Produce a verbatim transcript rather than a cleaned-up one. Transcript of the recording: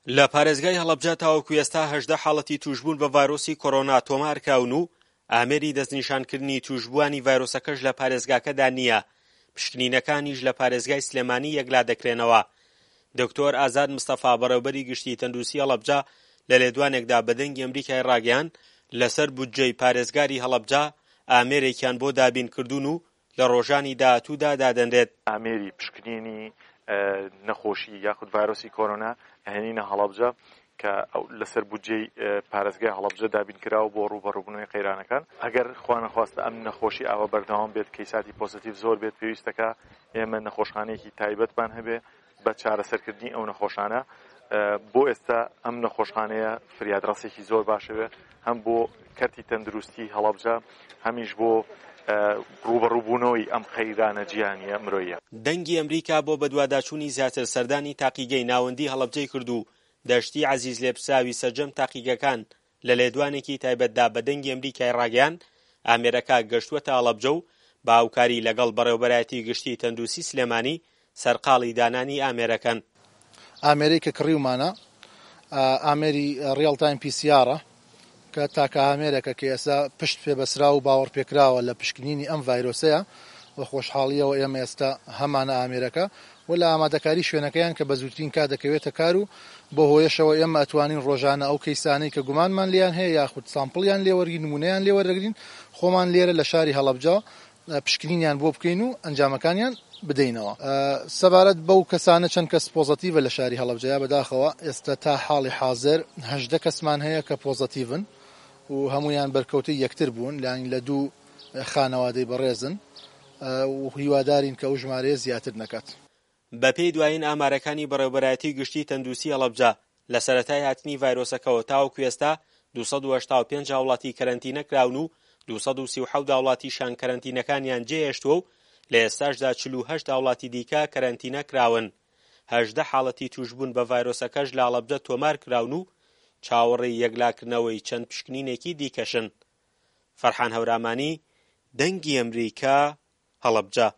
لە پارێزگای هەڵەبجە تاوەکو ئێستا هەژدە حاڵەتی تووشبوون بە ڤایرۆسی کۆرۆنا تۆمارکراون و ئامێری دەستنیشانکردنی تووشبووانی ڤایرۆسەکەش لە پارێزگاکەدا نییە، پشکنینەکانیش لە پارێزگای سلێمانی یەکلا دەکرێنەوە. دکتۆر ئازاد مستەفا بەڕێوبەری گشتی تەندروستی هەڵەبجە لە لێدوانێکدا بە دەنگی ئەمریکای ڕاگەیاند، لەسەر بودجەی پارێزگاری هەڵەبجە ئامێرێکیان بۆ دابینکردوون و لە ڕۆژانی داهاتوودا دادەنرێت. ئامێری پشکنینی نەخۆشی یاخود ڤایرۆسی کۆرۆنا ئەهێنینە هەڵەبجە کە لەسەر بودجەی پارێزگای هەڵەبجە دابین کراوە بۆ ڕووبەڕووبوونەوەی قەیرانەکان. ئەگەر خوانەخواستە ئەم نەخۆشی ئاوا بەردەوام بێت، کەیساتی پۆزیتیڤ زۆر بێت، پێویستەکە ئێمە نەخۆشخانەیەکی تایبەتمان هەبێ بە چارەسەرکردنی ئەو نەخۆشانە. بۆ ئێستا ئەم نەخۆشخانەیە فریادڕەسێکی زۆر باشەوێ، هەم بۆ کەرتی تەندروستی هەڵەبجە، هەمیش بۆ ڕووبەڕووبوونەوەی ئەم قەیرانە جیهانیە مرۆییە. دەنگی ئەمریکا بۆ بەدواداچوونی زیاتر سەردانی تاقیگەی ناوەندی هەڵەبجەی کرد و دەشتی عەزیز لێپرسراوی سەرجەم تاقیگەکان لە لێدوانێکی تایبەتدا بە دەنگی ئەمریکای ڕاگەیاند، ئامێرەکە گەشتووەتە هەڵەبجە و بە هاوکاری لەگەڵ بەڕێوەبەرایەتی گشتی تەندروستی سلێمانی سەرقاڵی دانانی ئامێرەکەن. ئامێرەی کە کڕیومانە ئامێری real time P C R ە کە تاکە ئامێرێکە کە ئێستا پشت پێبەسراو و باوەڕپێکراوە لە پشکنینی ئەم ڤایرۆسەیە و خۆشحاڵیەوە ئێمە ئێستا هەمانە ئامێرەکە و لە ئامادەکاری شوێنەکەیان کە بە زووترین کات دەکەوێتە کار و بۆ هۆیەشەوە ئێمە ئەتوانین ڕۆژانە ئەو کەیسانەی کە گومانمان لێیان هەیە یاخود sample یان لێوەرگین، نمونەیان لێوەرەگرین، خۆمان لێرە لە شاری هەڵەبجە پشکنینیان بۆ بکەین و ئەنجامەکانیان بدەینەوە. سەبارەت بەو کەسانە چەند کەس پۆزەتیڤە لە شاری هەڵەبجەیە، بەداخەوە ئێستا تا حاڵی حاضر هەژدە کەسمان هەیە کە پۆزەتیڤن و هەمویان بەرکەوتەی یەکتر بوون، یانی لە دوو خانەوادەی بەڕێزن و هیوادارین کە ئەو ژمارەیە زیاتر نەکات. بەپێی دوایین ئامارەکانی بەڕێوەبەرایەتی گشتی تەندروستی هەڵەبجە، لە سەرەتای هاتنی ڤایرۆسەکەوە تاوەکو ئێستا دوو سەد و هەشتا و پێنج هاوڵاتی کەرەنتینە کراون و دوو سەد و سی و حەوت هاوڵاتیشان کەرەنتینەکانیان جێهێشتووە و لە ئێستاشدا چل و هەشت هاوڵاتی دیکە کەرەنتینە کراون. هەژدە حاڵەتی تووشبوون بە ڤایرۆسەکەش لە هەڵەبجە تۆمار کراون و چاوەڕێی یەکلاکردنەوەی چەند پشکنینێکی دیکەشن. فەرحان هەورامانی، دەنگی ئەمریکا، هەڵەبجە.